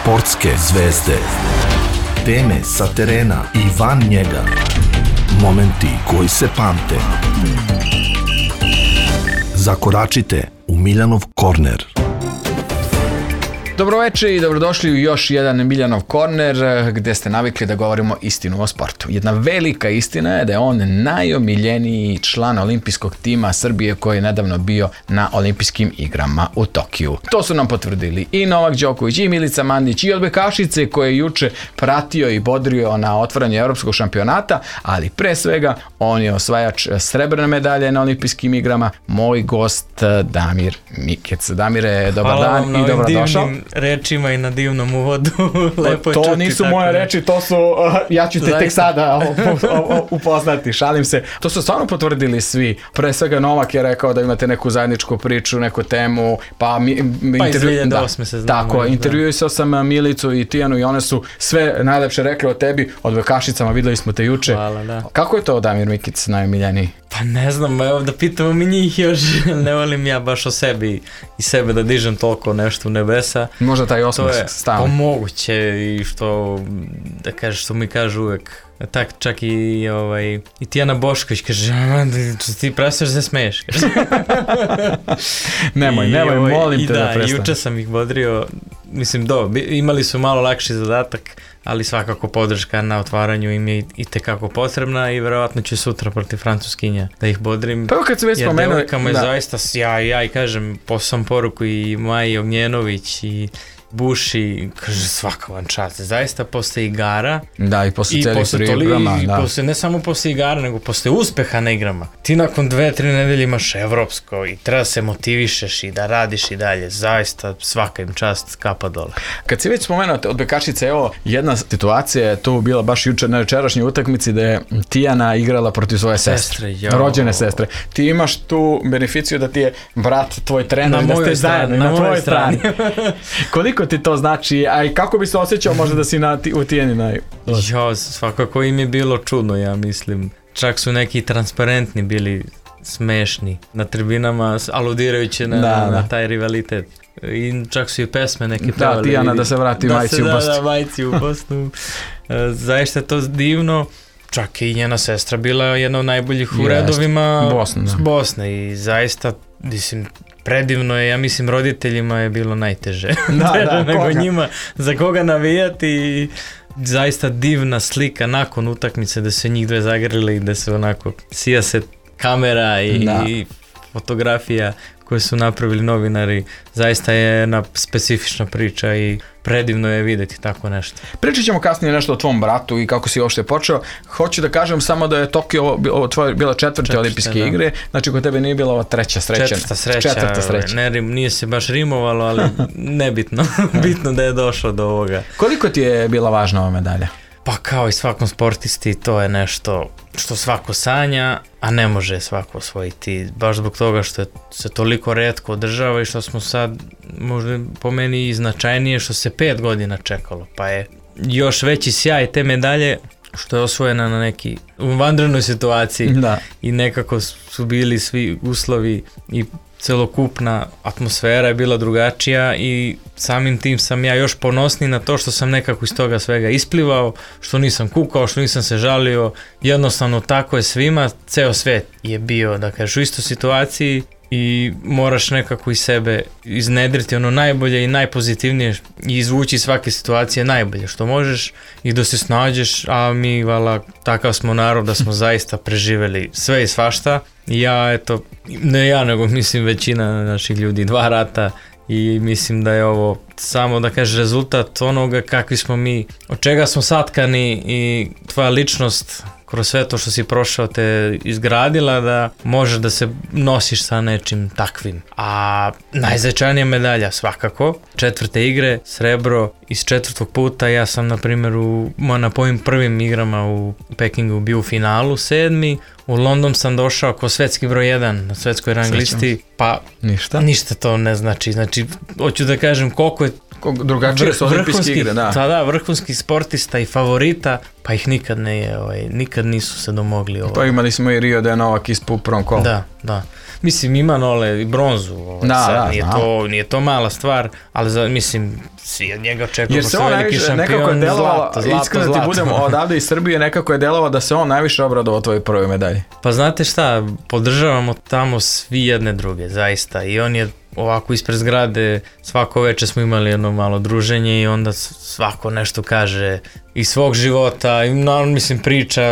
Sportske zvezde. Teme sa terena i van njega. Momenti koji se pamte. Zakoračite u Miljanov korner. Dobroveče i dobrodošli u još jedan Miljanov korner gdje ste navikli da govorimo istinu o sportu. Jedna velika istina je da je on najomiljeniji član olimpijskog tima Srbije koji je nedavno bio na olimpijskim igrama u Tokiju. To su nam potvrdili i Novak Đoković, i Milica Mandić, i odbojkašice koje je juče pratio i bodrio na otvaranju evropskog šampionata, ali pre svega on je osvajač srebrne medalje na olimpijskim igrama, moj gost Damir Mikec. Damire, dobar dan i dobrodošao. Rečima i na divnom uvodu. Lepo to čuti, nisu moje reči, to su, ja ću te tek sada upoznati, šalim se. To su stvarno potvrdili svi. Pre svega Novak je rekao da imate neku zajedničku priču, neku temu, pa iz 2008 se znamo. Tako, intervjuisao sam Milicu i Tijanu i one su sve najlepše rekli o tebi, o odbojkašicama, videli smo te juče. Hvala, da. Kako je to Damir Mikic najomiljeniji? Pa ne znam, evo da pitamo mi njih još, ne volim ja baš o sebi i sebe da dižem toliko nešto u nebesa. Možda taj osmeh stavlja. To je moguće i što, da kažeš, što mi kažu uvek. Tak, čak i Tijana Bošković kaže, ti prestaš da se smeješ. nemoj, molim te da prestaš. I juče sam ih bodrio, mislim, imali su malo lakši zadatak, ali svakako podrška na otvaranju im je i tekako potrebna i verovatno ću sutra protiv Francuskinja da ih bodrim. Pa kad se već spomenuo, jer devojkama je zaista, ja i kažem, poslao poruku i Maji Ognjenović i Buši, kaže svaka vam čast, zaista posle igara i posle celih priprema, i posle, ne samo posle igara, nego posle uspeha na igrama. Ti nakon 2-3 nedelje imaš evropsko i treba se motivišeš i da radiš i dalje, zaista svaka im čast, kapa dole. Kad si već spomenuo odbojkašice, evo jedna situacija je tu bila baš juče na jučerašnjoj utakmici da je Tijana igrala protiv svoje sestre, rođene sestre. Ti imaš tu beneficiju da ti je brat tvoj trener, da ste zajedno na tvojoj strani. Koliko ti to znači, a i kako bi se osjećao možda da si u Tijeni svakako im je bilo čudno, ja mislim. Čak su neki transparentni bili smešni na tribinama, aludirajući na taj rivalitet. I čak su i pesme neke pevali. Da, Tijana da se vrati majci u Bosnu. Da, majci u Bosnu. Zaista je to divno. Čak i njena sestra bila jedna od najboljih u redovima Bosne i zaista, mislim, predivno je, ja mislim roditeljima je bilo najteže nego njima, za koga navijati. Zaista divna slika nakon utakmice da se njih dve zagrlili i da se onako sija se kamera i fotografija koje su napravili novinari. Zaista je jedna specifična priča i predivno je vidjeti tako nešto. Pričat ćemo kasnije nešto o tvom bratu i kako si uopšte počeo. Hoću da kažem samo da je Tokio bila četvrte olimpijske igre, znači kod tebe nije bila ova treća sreća. Četvrta sreća. Nije se baš rimovalo, ali nebitno. Bitno da je došlo do ovoga. Koliko ti je bila važna ova medalja? Pa kao i svakom sportisti, to je nešto što svako sanja, a ne može svako osvojiti. Baš zbog toga što se toliko retko održava i što smo sad, možda po meni i značajnije, što se 5 godina čekalo. Pa je još veći sjaj te medalje što je osvojena na neki u vanrednoj situaciji i nekako su bili svi uslovi i celokupna atmosfera je bila drugačija i samim tim sam ja još ponosniji na to što sam nekako iz toga svega isplivao, što nisam kukao, što nisam se žalio, jednostavno tako je svima, ceo svet je bio, da kažeš, u istoj situaciji i moraš nekako iz sebe iznedriti ono najbolje i najpozitivnije i izvući svake situacije najbolje što možeš i da se snađeš, a mi, vala, takav smo narod da smo zaista preživeli sve i svašta. Ja, eto, ne ja, nego mislim većina naših ljudi, 2 rata i mislim da je ovo samo, da kažeš, rezultat onoga kakvi smo mi, od čega smo satkani i tvoja ličnost kroz sve to što si prošao te izgradila da možeš da se nosiš sa nečim takvim. A najznačajnija medalja svakako, 4. igre, srebro iz 4. puta. Ja sam na primjer na mojim prvim igrama u Pekingu bio u finalu 7. U London sam došao kao svetski broj 1 na svetskoj rang listi, pa ništa to ne znači. Znači, hoću da kažem koliko je drugačije su olimpijske igre, da, vrhunski sportista i favorita, pa ih nikad nisu se domogli. Pa imali smo i Rio da je Novak ispao u prvom kolu. Da. mislim ima Nole i bronzu, nije to mala stvar, ali mislim, svi od njega očekujemo što veliki šampion, zlato. Iskreno ti budemo odavde iz Srbije, nekako je delovao da se on najviše obradovao tvojoj prvoj medalji. Pa znate šta, podržavamo tamo svi jedne druge, zaista, i on je ovako ispred zgrade, svako večer smo imali jedno malo druženje i onda svako nešto kaže iz svog života i mislim priča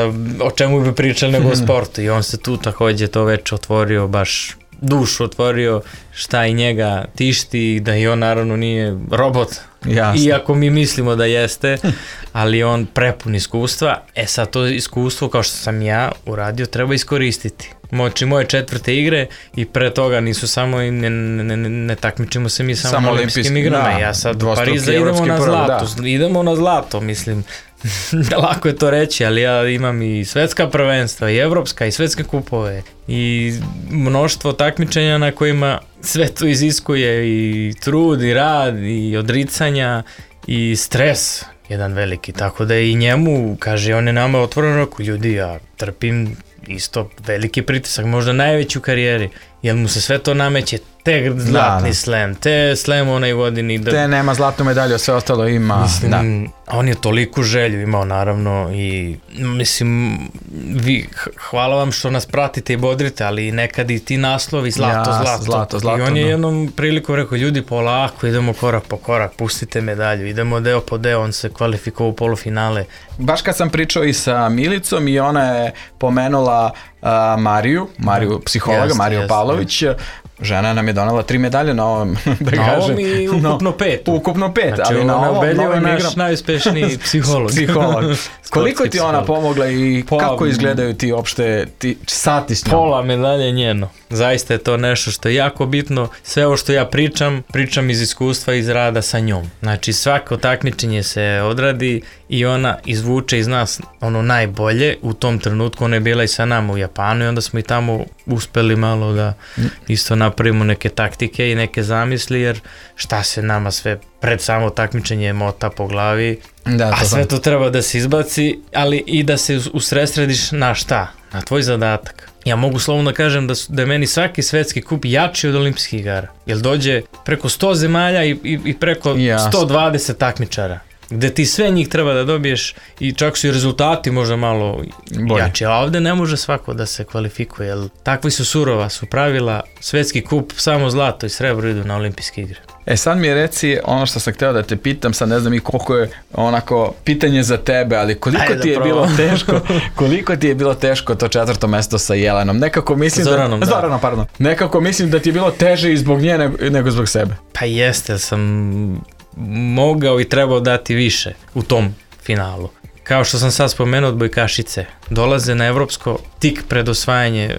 o čemu bi pričali nego o sportu i on se tu također to večer otvorio, baš dušu otvorio šta i njega tišti, da i on naravno nije robot. Jasne. Iako mi mislimo da jeste, ali on prepun iskustva. Sad to iskustvo, kao što sam ja uradio, treba iskoristiti. Moje 4. igre i pre toga nisu samo, ne takmičimo se mi samo olimpijskim igrama. Ja sad u Pariza idemo na zlato, mislim. Lako je to reći, ali ja imam i svetska prvenstva, i evropska, i svetske kupove, i mnoštvo takmičenja na kojima sve to iziskuje i trud, i rad, i odricanja, i stres jedan veliki, tako da i njemu, kaže, on je nama otvoreno rekao, ljudi, ja trpim isto veliki pritisak, možda najveći u karijeri, jer mu se sve to nameće, te zlatni slam, te slam onaj godini. Te nema zlatnu medalju, a sve ostalo ima. Mislim, on je toliku želju imao naravno i mislim, hvala vam što nas pratite i bodrite, ali nekad i ti naslovi zlato. I on je jednom priliku rekao, ljudi, polako, idemo korak po korak, pustite medalju, idemo deo po deo, on se kvalifikovao u polufinale. Baš kad sam pričao i sa Milicom i ona je pomenula Mariju, psihologa, Mariju Pavlović, žena nam je donela 3 medalje na ovom, da kažem. Na ovom i ukupno 5. Ukupno 5, znači, ali na ovom je naš najuspešniji psiholog. Koliko ti ona pomogla i kako izgledaju ti opšte sati s njom? Pola medalje njeno. Zaista je to nešto što je jako bitno. Sve ovo što ja pričam iz iskustva, iz rada sa njom. Znači svako takmičenje se odradi i ona izvuče iz nas ono najbolje. U tom trenutku ona je bila i sa nama u Japanu i onda smo i tamo uspeli malo da isto napravimo neke taktike i neke zamisli, jer šta se nama sve pred samo takmičenje mota po glavi, a sve to treba da se izbaci, ali i da se usredsrediš na šta? Na tvoj zadatak. Ja mogu slovno kažem da je meni svaki svetski kup jači od olimpijskih igara, jer dođe preko 100 zemalja i preko 120 takmičara, gde ti sve njih treba da dobiješ i čak su i rezultati možda malo jači, a ovde ne može svako da se kvalifikuje, jer takvi su surova, su pravila, svetski kup, samo zlato i srebro idu na olimpijske igre. Sad mi reci ono što sam hteo da te pitam, sad ne znam i koliko je onako pitanje za tebe, ali koliko ti je bilo teško to 4. mesto sa Jelenom? Nekako mislim Zoranom, pardon. Nekako mislim da ti je bilo teže i zbog nje nego zbog sebe. Pa jeste, sam mogao i trebao dati više u tom finalu. Kao što sam sad spomenuo, odbojkašice dolaze na evropsko tik pred osvajanje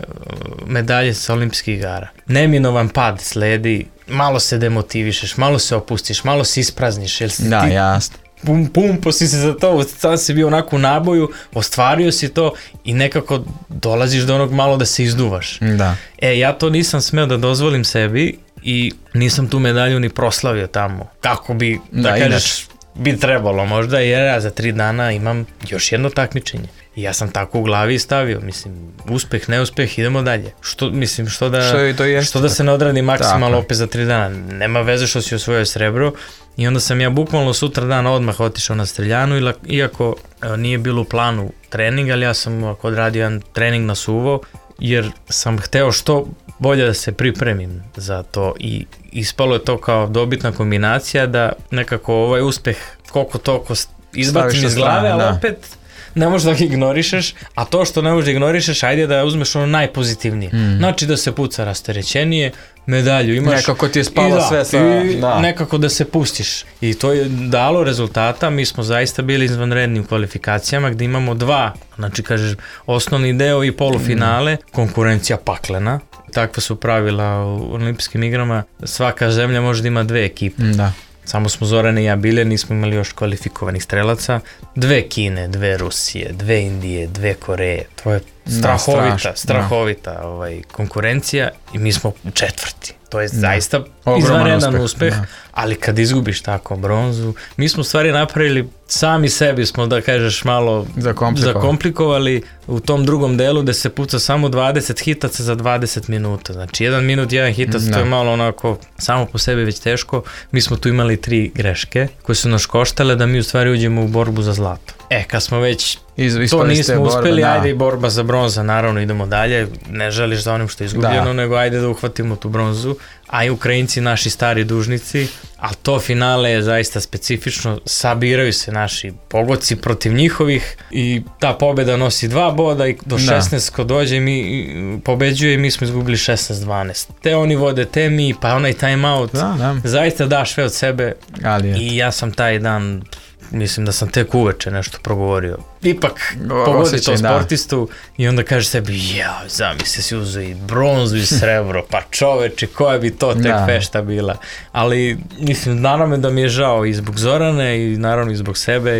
medalje sa olimpijskih igara. Neminovan pad sledi, malo se demotivišeš, malo se opustiš, malo se isprazniš. Jasno. Pumpo si se za to, sad si bio onako u naboju, ostvario si to i nekako dolaziš do onog malo da se izduvaš. Da. Ja to nisam smeo da dozvolim sebi i nisam tu medalju ni proslavio tamo. Kako bi, da kažeš, bi trebalo možda, jer ja za 3 dana imam još jedno takmičenje. I ja sam tako u glavi stavio, mislim, uspeh, neuspeh, idemo dalje. Što da se ne odradi maksimalno opet za 3 dana. Nema veze što si osvojio srebro. I onda sam ja bukvalno sutra dan odmah otišao na streljanu, iako nije bilo u planu trening, ali ja sam odradio jedan trening na suvo, jer sam hteo što bolje da se pripremim za to i ispalo je to kao dobitna kombinacija da nekako ovaj uspeh koliko toliko izbacim iz glave, ali opet ne možeš da ga ignorišeš, a to što ne možeš da ignorišeš, ajde da uzmeš ono najpozitivnije. Znači da se puca rasterećenije, medalju imaš. Nekako ti je spalo sve sa... Nekako da se pustiš. I to je dalo rezultata, mi smo zaista bili izvanredni u kvalifikacijama gdje imamo 2, znači kažeš osnovni deo i polufinale, konkurencija paklena. Takva su pravila u olimpijskim igrama, svaka zemlja može da ima 2 ekipe. Da. Samo smo Zorane i ja bile, nismo imali još kvalifikovanih strelaca. 2 Kine, 2 Rusije, 2 Indije, 2 Koreje. To je strahovita konkurencija i mi smo četvrti. To je zaista izvanredan uspeh, ali kad izgubiš tako bronzu, mi smo stvari napravili, sami sebi smo, da kažeš, malo zakomplikovali u tom drugom delu gde se puca samo 20 hitaca za 20 minuta. Znači, 1 minut, 1 hitac, to je malo onako samo po sebi već teško. Mi smo tu imali 3 greške koje su nas koštale da mi u stvari uđemo u borbu za zlato. Kad smo već to nismo uspeli, ajde i borba za bronza, naravno idemo dalje, ne želiš za onim što je izgubljeno, nego ajde da uhvatimo tu bronzu, a i Ukrajinci, naši stari dužnici, a to finale je zaista specifično, sabiraju se naši pogodci protiv njihovih i ta pobjeda nosi 2 boda i do 16 ko dođe mi pobeđuje i mi smo izgubili 16-12. Te oni vode, te mi, pa onaj time out, zaista daš sve od sebe i ja sam taj dan, mislim da sam tek uveče nešto progovorio. Ipak pogodi to sportistu i onda kaže sebi, zamisli si uzeo i bronzu i srebro, pa čoveče, koja bi to tek fešta bila. Ali, mislim, naravno da mi je žao i zbog Zorane i naravno i zbog sebe.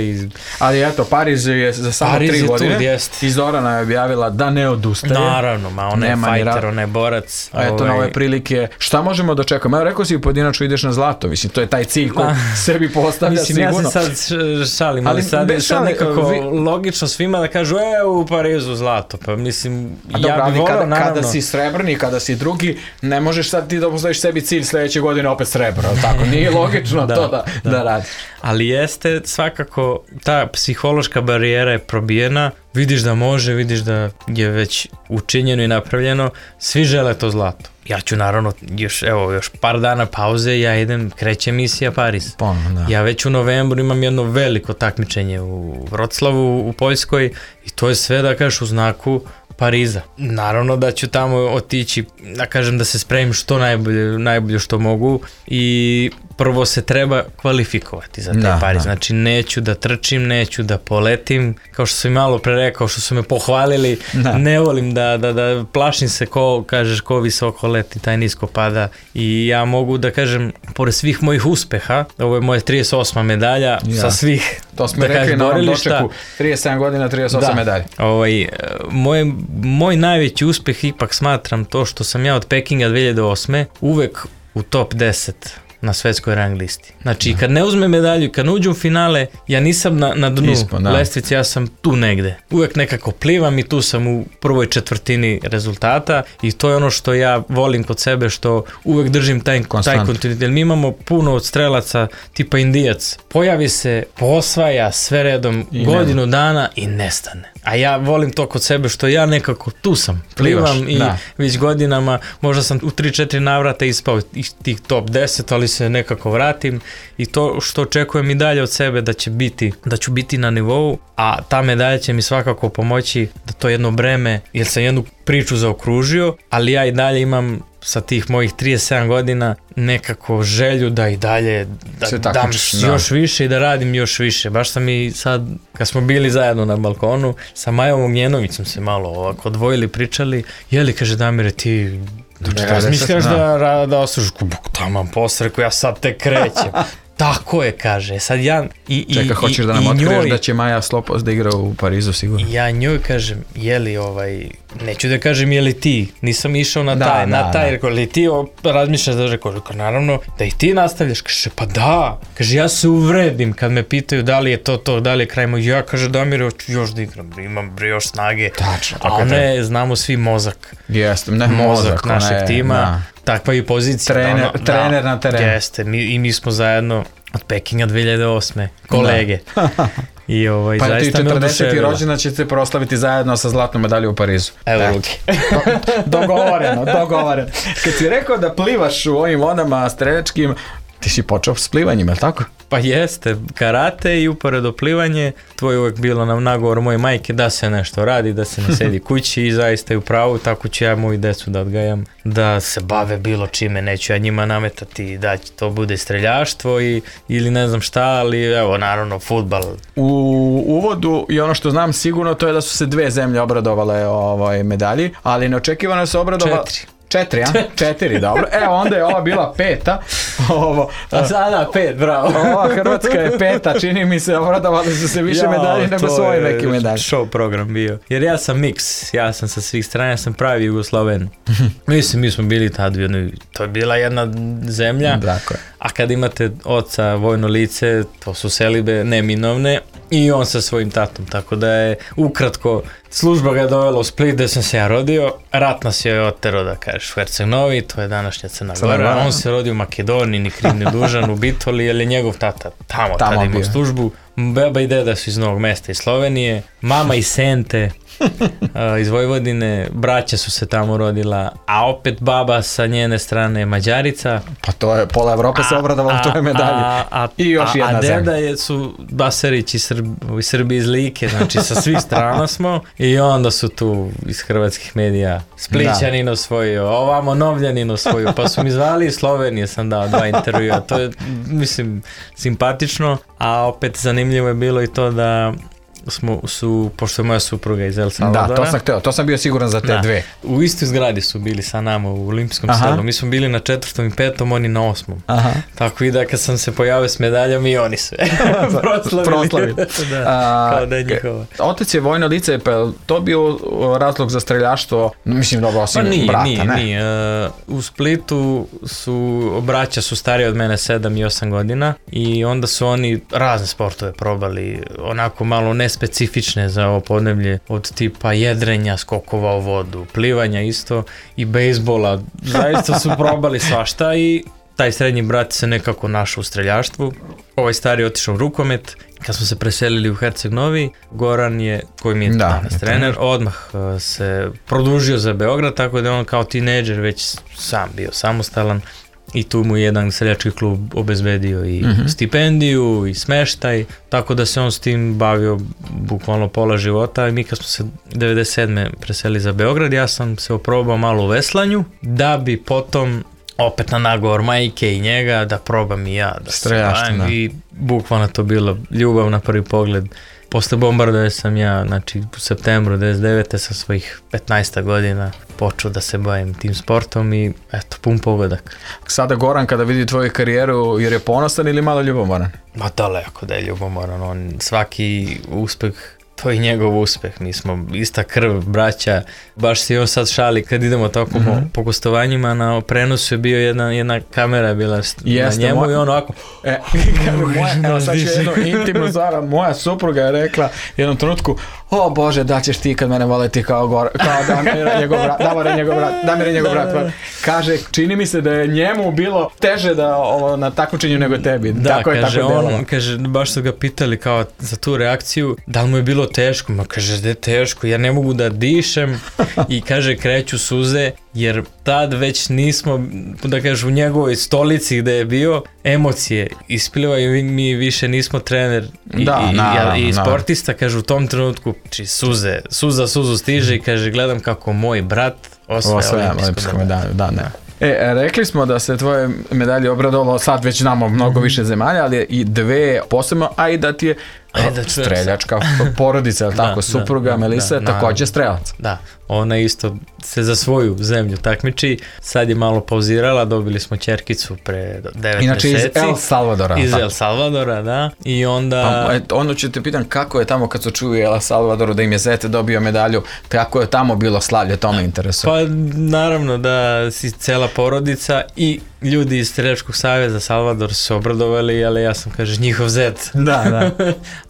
Ali eto, Pariz je za samo 3 godine i Zorana je objavila da ne odustaje. Naravno, ona je fajter, ona je borac. A eto, na ove prilike, šta možemo da čekamo? Evo, rekao si pojedinačno ideš na zlato, mislim, to je taj cilj koji sebi postavlja sigurno. Mislim, ja se sad šalim, ali sad nekako logično svima da kažu u Parizu zlato, pa mislim ja bih volao naravno. Kada si srebrni, kada si drugi, ne možeš sad ti da postaviš sebi cilj sledeće godine opet srebro, tako, nije logično to da radiš. Ali jeste svakako ta psihološka barijera je probijena, vidiš da može, vidiš da je već učinjeno i napravljeno, svi žele to zlato. Ja ću naravno, još par dana pauze, ja idem, kreće misija Pariz. Ja već u novembru imam jedno veliko takmičenje u Vroclavu, u Poljskoj i to je sve, da kažeš, u znaku Pariza. Naravno da ću tamo otići, da kažem, da se spremim što najbolje što mogu i prvo se treba kvalifikovati za taj Pariz. Znači neću da trčim, neću da poletim, kao što sam i malo pre rekao, što su me pohvalili, ne volim da plašim se ko visoko leti, taj nisko pada i ja mogu da kažem, pored svih mojih uspeha, ovo je moja 38. medalja sa svih, to smo rekli na ovom dočeku, 37 godina, 38 medalja. Moj najveći uspeh ipak smatram to što sam ja od Pekinga 2008. uvek u top 10 na svetskoj rang listi. Znači, kad ne uzmem medalju, kad ne uđem u finale, ja nisam na dnu lestvice, ja sam tu negde. Uvek nekako plivam i tu sam u prvoj četvrtini rezultata i to je ono što ja volim kod sebe, što uvek držim taj kontinuitet. Mi imamo puno od strelaca tipa Indijac. Pojavi se, posvaja sve redom godinu dana i nestane. A ja volim to kod sebe što ja nekako tu sam, plivam i već godinama, možda sam u 3-4 navrata ispao iz tih top 10, ali se nekako vratim i to što očekujem i dalje od sebe da ću biti na nivou, a ta medalja će mi svakako pomoći da to jedno breme, jer sam jednu priču zaokružio, ali ja i dalje imam sa tih mojih 37 godina nekako želju da i dalje dam još više i da radim još više. Baš sam i sad, kad smo bili zajedno na balkonu, sa Majom Ognjenovićem se malo ovako odvojili, pričali, kaže Damire, ti razmišljaš da oslužiš, taman posreku, ja sad te krećem. Tako je, kaže. Sad ja Čeka, hoćeš da nam otkriješ da će Maja Slopos da igra u Parizu, sigurno? Ja njoj kažem, neću da kažem je li ti, nisam išao na taj, rekao, li ti razmišljaš da rekao, naravno, da i ti nastavljaš, kaže, pa da, kaže, ja se uvredim kad me pitaju da li je to, da li je kraj moj, ja, kaže, Damire, hoću još da igram, imam još snage, a ne, znamo svi mozak. Jeste, mozak našeg tima. Takva je pozicija. Trener na terenu. Jeste, i mi smo zajedno od Pekinga 2008. kolege. I pa ti zaista me 40. rođena ćete proslaviti zajedno sa zlatnom medaljom u Parizu. Evo ruke. Dogovoreno. Kad si rekao da plivaš u ovim vodama streljačkim, ti si počeo s plivanjem, je li tako? Pa jeste, karate i uporedo plivanje, to je uvek bilo na nagovor moje majke da se nešto radi, da se ne sedi kući i zaista je u pravu, tako ću ja moju decu da odgajam, da se bave bilo čime, neću ja njima nametati da to bude streljaštvo ili ne znam šta, ali evo naravno fudbal. U uvodu i ono što znam sigurno to je da su se 2 zemlje obradovale medalji, ali neočekivano se obradovala... 4, a? 4, dobro. Evo, onda je ova bila 5. A sada 5, bravo. Ova Hrvatska je 5, čini mi se, obradovali su se više medalje nego svoje neke medalje. Show program bio. Jer ja sam mix, ja sam sa svih strana, ja sam pravi Jugosloven. Mislim, mi smo bili tad u jednoj, to je bila jedna zemlja, Dakle. a kad imate oca vojno lice, to su selibe neminovne, i on sa svojim tatom, tako da je ukratko služba ga je dovela u Split gde sam se ja rodio, rat nas je otero da kažeš u Herceg Novi, to je današnja Crna Gora, on se rodio u Makedoniji, ni kriv ni dužan u Bitoli, jer je njegov tata tamo tada imao službu, beba i deda su iz Novog Mesta iz Slovenije, mama iz Sente, iz Vojvodine, braća su se tamo rodila, a opet baba sa njene strane Mađarica. Pa to je, pola Evrope se obradovalo toj medalji. I još jedna zemlja. A deda su Basarić iz Srbije, iz Like, znači sa svih strana smo, i onda su tu iz hrvatskih medija Splićanin osvojio, ovamo Novljanin osvojio, pa su mi zvali iz Slovenije, sam dao 2 intervjua, to je, mislim, simpatično, a opet zanimljivo je bilo i to da pošto je moja supruga iz El Salvadora. Da, to sam hteo, to sam bio siguran za te dve. U istoj zgradi su bili sa nama u Olimpijskom selu. Mi smo bili na 4. i 5. oni na 8. Tako i da kad sam se pojavio s medaljom i oni sve proslavili. Kao da je njihova. Otac je vojno lice, pa to bio razlog za streljaštvo, mislim dobro, osim brata, ne? Nije. U Splitu braća su stariji od mene 7 i 8 godina i onda su oni razne sportove probali, onako malo nespecifične za ovo podneblje, od tipa jedrenja, skokova u vodu, plivanja isto i bejsbola. Zaista su probali svašta i taj srednji brat se nekako našao u streljaštvu. Ovaj stari je otišao u rukomet. Kad smo se preselili u Herceg Novi, Goran je, koji mi je danas trener, odmah se produžio za Beograd, tako da je on kao tinejdžer već sam bio samostalan. I tu mu jedan seljački klub obezbedio i stipendiju i smeštaj, tako da se on s tim bavio bukvalno pola života. I mi kad smo se 97. preselili za Beograd, ja sam se oprobao malo u veslanju, da bi potom opet na nagovor majke i njega da probam i ja da se bavim. I bukvalno to bilo ljubav na prvi pogled. Posle bombardove sam ja, znači u septembru 99. sa svojih 15 godina počeo da se bavim tim sportom i eto, pun pogodak. Sada Goran kada vidi tvoju karijeru, jer je ponosan ili malo ljubomoran? Ma daleko da je ljubomoran, on svaki uspeh, to je njegov uspeh, mi smo ista krv, braća, baš se on sad šali kad idemo tako po gostovanjima, na prenosu je bio jedna kamera bila na njemu i on ovako evo sad ću jednu intimnu stvar, moja supruga je rekla jednom trenutku, o Bože, da ćeš ti kad mene voleti kao Damir je njegov brat. Kaže, čini mi se da je njemu bilo teže da na takmičenju nego tebi. Da, kaže, baš su ga pitali kao za tu reakciju, da li mu je bilo teško, ma kaže da je teško, ja ne mogu da dišem i kaže kreću suze, jer tad već nismo, da kažem, u njegovoj stolici gde je bio, emocije isplivaju i mi više nismo trener i sportista, kaže u tom trenutku, suzu stiže i kaže gledam kako moj brat osvaja olimpijsku medalju. Rekli smo da se tvoje medalje obradovalo, sad već znamo mnogo više zemalja, ali i dve posebno, a i da ti je streljačka porodica, je li tako, supruga Melisa je također strelac. Da, ona isto se za svoju zemlju takmiči, sad je malo pauzirala, dobili smo ćerkicu pre 9 mjeseci. Inače iz El Salvadora. Iz El Salvadora, da, i onda... Ono ću te pitan kako je tamo kad su čuli El Salvadoru da im je zete dobio medalju, kako je tamo bilo slavlje, to me interesuje. Pa naravno da si cela porodica i ljudi iz Streljačkog saveza Salvador su se obradovali, ali ja sam, kaže, njihov zet. Da.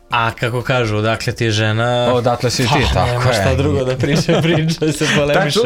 A kako kažu, odakle ti je žena... Odatle si ti, tako je. Nema šta drugo da priča se polemiše.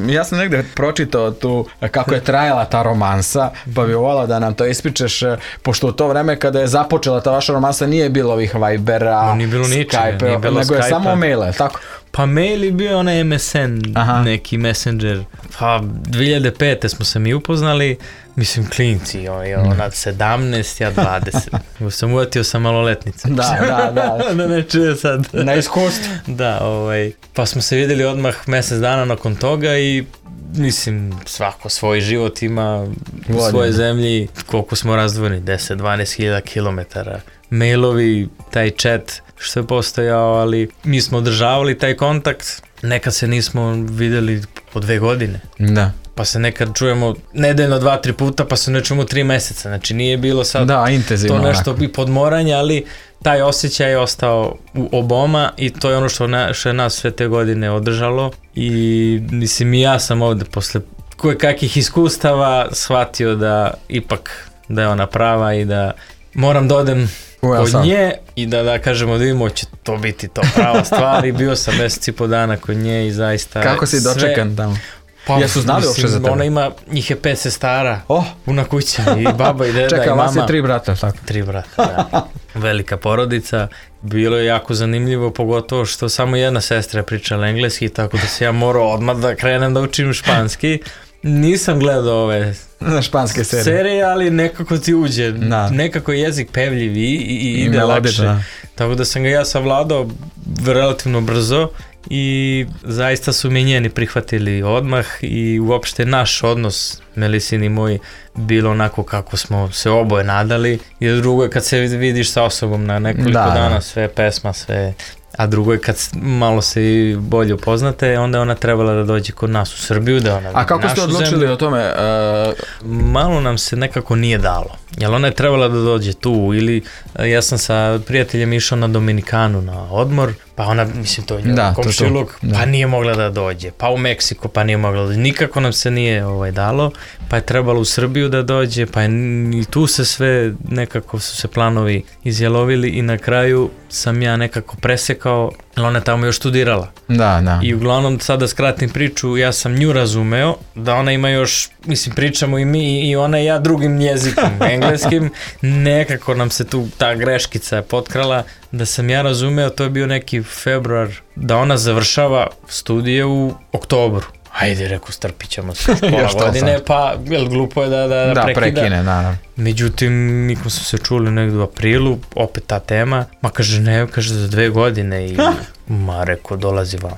Ja sam negde pročitao tu kako je trajala ta romansa, pa bi volao da nam to ispričaš, pošto u to vreme kada je započela ta vaša romansa nije bilo ovih Vibera, Skype, nego je samo mail, tako? Pa mail je bio onaj MSN, neki messenger. Pa 2005. smo se mi upoznali, mislim klinci, ona 17, ja 20. Sam uvatio sa maloletnicom. Da ne čuje sad. Na iskustvu. Da, pa smo se vidjeli odmah mjesec dana nakon toga i mislim, svako svoj život ima u svojoj zemlji, koliko smo razdvojeni, 10-12 hiljada kilometara. Mailovi, taj chat što je postojao, ali mi smo održavali taj kontakt, nekad se nismo vidjeli po 2 godine. Da. pa se nekad čujemo nedeljno 2-3 puta, pa se ne čujemo 3 meseca. Znači nije bilo sad to nešto i podmoranje, ali taj osjećaj je ostao u oboma i to je ono što je nas sve te godine održalo i mislim i ja sam ovde posle kakvih iskustava shvatio da ipak da je ona prava i da moram da odem kod nje i da kažemo da vidimo će to biti to prava stvar i bio sam mesec i po dana kod nje i zaista kako si dočekan tamo? Pa, jesu znali uopšte za tebe? Ona ima, njih je 5 sestara, puna kuća i baba i deda. Čekaj, i mama. vas je 3 brata, tako? 3 brata, da. Velika porodica. Bilo je jako zanimljivo, pogotovo što samo jedna sestra je pričala engleski, tako da se ja morao odmah da krenem da učim španski. Nisam gledao ove španske serije, ali nekako ti uđe. Nekako je jezik pevljiv i ide lakše. Tako da sam ga ja savladao relativno brzo. I zaista su mi njeni prihvatili odmah i uopšte naš odnos, Melisin i moj, bilo onako kako smo se oboje nadali. I drugo je kad se vidiš sa osobom na nekoliko dana, sve pesma, sve, a drugo je kad malo se i bolje upoznate, onda je ona trebala da dođe kod nas u Srbiju, da ona a kako ste odlučili o tome? Malo nam se nekako nije dalo, jer ona je trebala da dođe tu ili ja sam sa prijateljem išao na Dominikanu na odmor, pa ona, mislim, to je njegov komšiluk, pa nije mogla da dođe, pa u Meksiko, pa nije mogla da dođe, nikako nam se nije dalo, pa je trebalo u Srbiju da dođe, pa je i tu se sve, nekako su se planovi izjalovili i na kraju sam ja nekako presekao, jer ona je tamo još studirala. I uglavnom, sada skratim priču, ja sam nju razumeo, da ona ima još, mislim, pričamo i mi i ona i ja drugim jezikom, engleskim, nekako nam se tu ta greškica potkrala, da sam ja razumeo, to je bio neki februar, da ona završava studije u oktobru. Ajde, reku, strpit ćemo se pola godine, pa glupo je da prekine. Međutim, mi smo se čuli negdje u aprilu, opet ta tema, ma kaže ne, kaže za 2 godine i ma reku, dolazi vamo.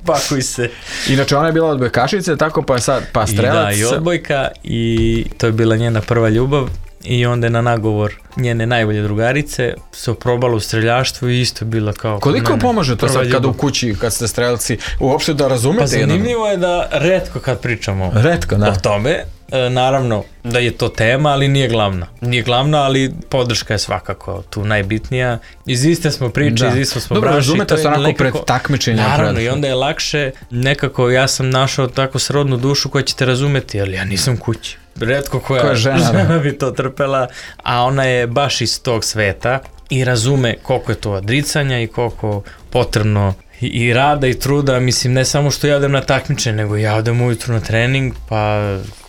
Pakuj se. Inače, ona je bila odbojkašice, tako pa je sad strelac. I odbojka i to je bila njena prva ljubav. I onda je na nagovor njene najbolje drugarice se oprobala u streljaštvu i isto bila kao... Koliko pomaže to sad kada u kući, kad ste strelci, uopšte da razumete? Pa zanimljivo je da retko kad pričamo o tome, naravno da je to tema, ali nije glavna. Nije glavna, ali podrška je svakako tu najbitnija. Iz iste smo priče, iz isto smo braši. Dobro, razumete se onako pred takmičenja. Naravno, i onda je lakše, nekako ja sam našao tako srodnu dušu koja će te razumeti, ali ja nisam kući. Retko koja žena bi to trpela, a ona je baš iz tog sveta i razume koliko je to odricanja i koliko potrebno i rada i truda, mislim, ne samo što ja odem na takmičenje, nego ja odem ujutru na trening, pa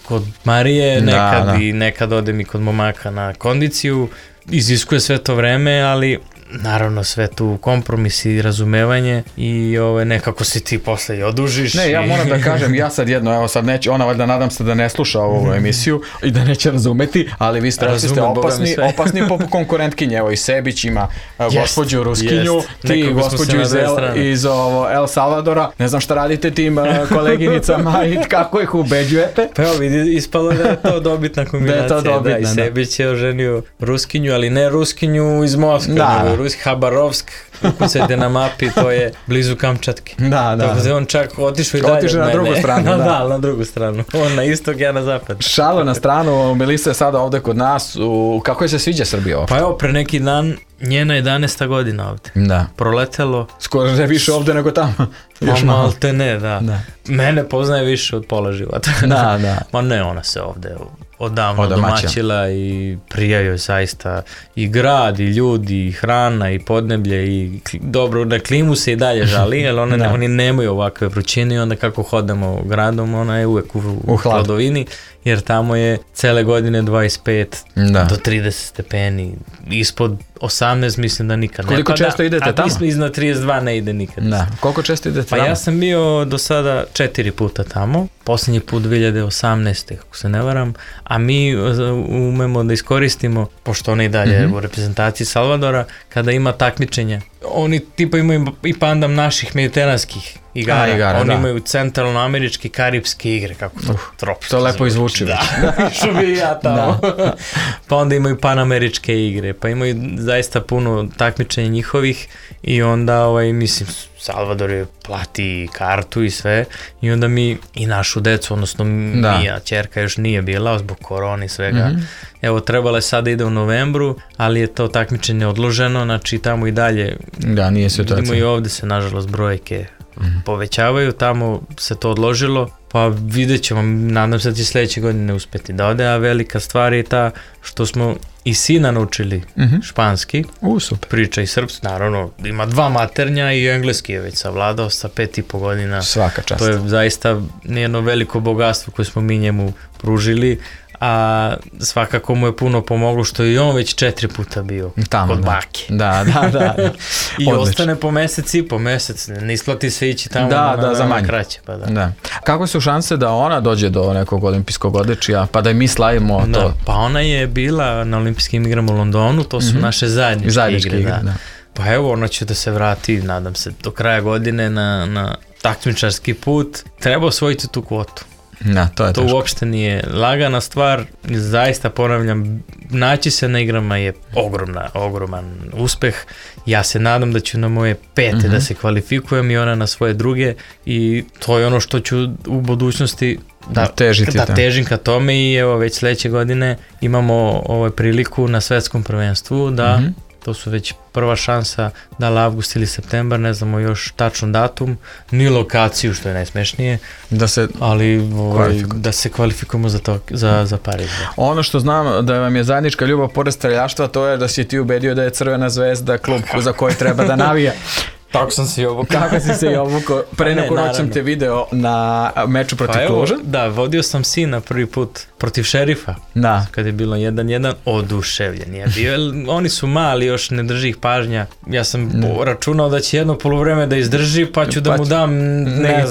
kod Marije nekad i nekad odem i kod momaka na kondiciju, iziskuje sve to vreme, ali naravno sve tu kompromis i razumevanje i nekako se ti posle i odužiš. Ne, ja moram da kažem, ja sad jedno, evo sad neće, ona valjda nadam se da ne sluša ovu emisiju i da neće razumeti, ali vi ste opasni po konkurentkinje, evo i Sebić ima gospođu Ruskinju, ti gospođu iz El Salvadora, ne znam šta radite tim koleginicama i kako ih ubeđujete. Pa evo vidi, ispalo da je to dobitna kombinacija, da i Sebić je oženio Ruskinju, ali ne Ruskinju iz Moskve, nego Habarovsk, ukucajte na mapi, to je blizu Kamčatke. Tako da on čak otišao i dalje od mene. Na drugu stranu. Na drugu stranu. On na istok, ja na zapad. Šalo na stranu, Melisa je sada ovde kod nas. Kako je se sviđa Srbija ovdje? Pa evo, pre neki dan, njena 11. godina ovde. Proletelo. Skoro je više ovde nego tamo. Malte ne, da. Mene poznaje više od pola života. Ma ne, ona se ovde odavno domaćila i prija joj zaista i grad, i ljudi, i hrana, i podneblje, i dobro, na klimu se i dalje žali, jer oni nemaju ovakve vrućine i onda kako hodamo gradom, ona je uvek u hladovini, jer tamo je cele godine 25 do 30 stepeni, ispod 18 mislim da nikad ne pada. Koliko često idete tamo? A iznad 32 ne ide nikad. Koliko često idete tamo? Pa ja sam bio do sada 4 puta tamo, posljednji put 2018. ako se ne varam, a mi umemo da iskoristimo, pošto ona i dalje u reprezentaciji Salvadora, kada ima takmičenja. Oni tipa imaju i pandam naših mediteranskih igara. Oni imaju centralnoameričke i karipske igre, kako to tropično. To lepo izvuči. Da, što bi ja tamo. Pa onda imaju panameričke igre, pa imaju zaista puno takmičenja njihovih i onda, mislim, Salvador je plati kartu i sve i onda mi i našu decu, odnosno Mija, ćerka još nije bila zbog korone i svega. Evo, trebalo je sada ide u novembru, ali je to takmičenje odloženo, znači tamo i dalje. Da, nije situacija. Vidimo i ovde se, nažalost, brojke povećavaju, tamo se to odložilo, pa vidjet ćemo, nadam se da će sljedeće godine uspjeti da ode, a velika stvar je ta što smo i sina naučili španski, super. Priča i srpski, naravno, ima 2 maternja i engleski je već savladao sa 5,5 godina. Svaka čast. To je zaista jedno veliko bogatstvo koje smo mi njemu pružili, a svakako mu je puno pomoglo što je i on već 4 puta bio tamo, kod bake. Da. I ostane po mesec, ne isplati se ići tamo za manje. Kraće. Pa da. Kako su šanse da ona dođe do nekog olimpijskog odličja, pa da i mi slavimo to? Pa ona je bila na olimpijskim igrama u Londonu, to su naše zajedničke igre. Da. Pa evo, ona će da se vrati, nadam se, do kraja godine na takmičarski put. Treba osvojiti tu kvotu. To uopšte nije lagana stvar, zaista ponavljam, naći se na igrama je ogroman uspeh. Ja se nadam da ću na moje 5. da se kvalifikujem i ona na svoje 2. i to je ono što ću u budućnosti da težim ka tome i evo već sljedeće godine imamo priliku na svetskom prvenstvu da to su već prva šansa da li avgust ili septembar, ne znamo još tačan datum, ni lokaciju što je najsmešnije, ali da se kvalifikujemo za Pariz. Ono što znam da vam je zajednička ljubav pored streljaštva, to je da si ti ubedio da je Crvena zvezda klub za koji treba da navija. Tako sam se i obukao. Kako si se i obukao? Pre neku noć sam te video na meču protiv Kluža. Da, vodio sam sina prvi put protiv Šerifa. Da. Kad je bilo 1-1, oduševljen je bio. Oni su mali, još ne drži ih pažnja. Ja sam računao da će jedno poluvreme da izdrži, pa ću da mu dam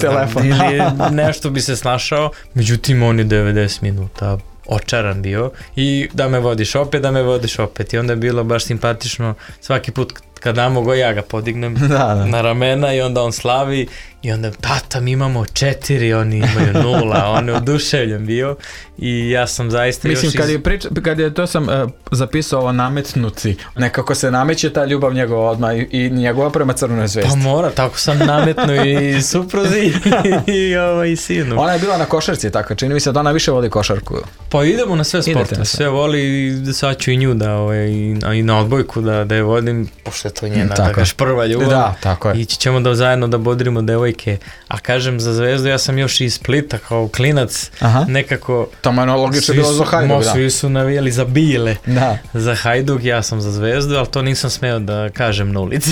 telefon. Ili nešto bi se snašao. Međutim, on je 90 minuta očaran bio i da me vodiš opet i onda je bilo baš simpatično svaki put kad damo go ja ga podignem na ramena i onda on slavi i onda tata mi imamo 4, oni imaju 0, on je oduševljen bio i ja sam zaista mislim, kad je to sam zapisao ovo nametnuti, nekako se nameće ta ljubav njegova odmah i njegova prema Crvenoj zvezdi. Pa mora, tako sam nametnuo i supruzi i sinu. Ona je bila na košarci, tako, čini mi se da ona više voli košarku. Pa idemo na sve sporte, sve voli i sad ću i nju i na odbojku da je vodim, pošto je to njena prva ljubav. Da, tako je. Ići ćemo da zajedno da bodrimo devojke. A kažem za Zvezdu, ja sam još iz Splita kao klinac, nekako... Tamo je logično bilo za Hajduk, da. Svi su navijali za Bile, za Hajduk, ja sam za Zvezdu, ali to nisam smeo da kažem na ulici.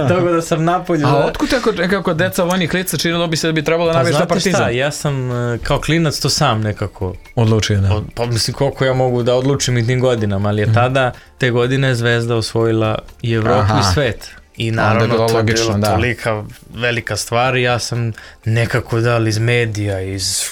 Tako da sam napolju... A otkud kako deca vojnih lica činilo bi se da bi trebalo da navijaš za Partizan? Znate šta, ja sam kao klinac to sam nekako... Odlučio, da. Pa mislim koliko ja mogu da odlučim i tim godinama, ali je tada te godine Zvezda osvojila i Evropu i svet. I naravno to je bilo tolika velika stvar i ja sam nekako iz medija,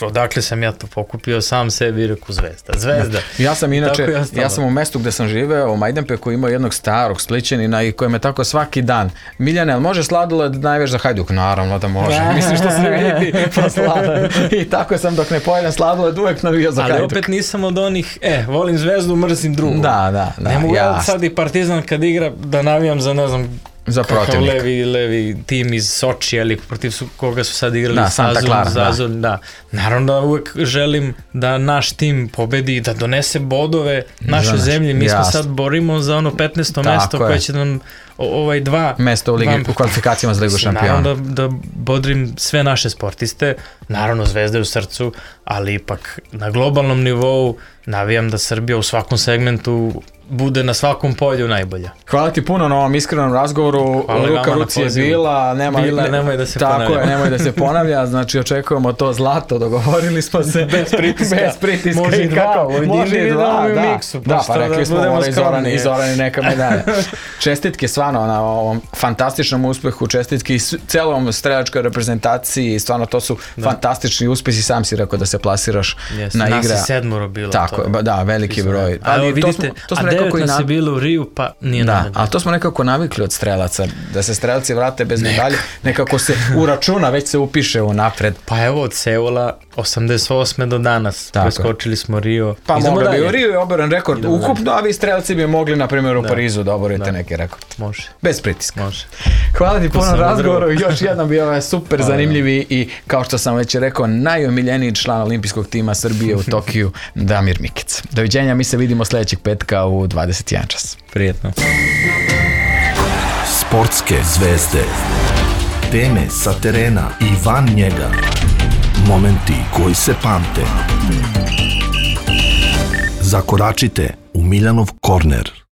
odakle sam ja to pokupio, sam sebi rekao Zvezda. Ja sam inače, ja sam u mestu gde sam živeo, u Majdanpeku, imao jednog starog Splićanina i koji me tako svaki dan, Miljane, ali može sladoled najveš za Hajduk? Naravno da može, misliš što se vidi, pa sladoled. I tako sam dok ne pojedem sladoled uvek navio za Hajduk. Ali opet nisam od onih, volim Zvezdu, mrzim drugu. Da. Ne mogu ja sad i Partizan kad igra da navijam za ne znam za protivnik. Levi tim iz Sočija ili protiv koga su sad igrali Santa Clara. Naravno da uvek želim da naš tim pobedi i da donese bodove našoj zemlji. Mi smo sad borimo za ono 15. mesto koje će nam dva mesta u kvalifikacijama za Ligu šampiona. Naravno da bodrim sve naše sportiste, naravno Zvezda je u srcu, ali ipak na globalnom nivou navijam da Srbija u svakom segmentu bude na svakom polju najbolja. Hvala ti puno na ovom iskrenom razgovoru. Ruka ruci je bila, nemoj da se ponavlja. Tako je, nemoj da se ponavlja, znači očekujemo to zlato, dogovorili smo se. Bez pritiska. Može i dva. Da, pa rekli smo i Zorani neka medalja. Čestitke stvarno na ovom fantastičnom uspehu, čestitke i celom strelačkoj reprezentaciji, stvarno to su fantastični uspesi, sam si rekao da se plasiraš na igre. Nas je 7 bilo. Tako, da, veliki broj. Ali vidite, nekako nas je bilo u Riju, pa nije na medalju. Ali to smo nekako navikli od strelaca, da se strelci vrate bez medalje, nekako se uračuna, već se upiše u napred. Pa evo od Seula 88. do danas, preskočili smo Rio. Pa mogla bi u Rio je oboren rekord ukupno, a vi strelci bi mogli, na primjer, u Parizu da oborite neki rekord. Može. Bez pritiska. Može. Hvala ti puno razgovoru, još jedan bio ovaj super zanimljivi i kao što sam već rekao, najomiljeniji član olimpijskog tima Srbije u Tokiju, Damir Mikić. Doviđenja, mi se vidimo sljedećeg petka u 21 čas. Prijetno. Sportske zvezde, teme sa terena i van njega, momenti koji se pamte. Zakoračite u Miljanov korner.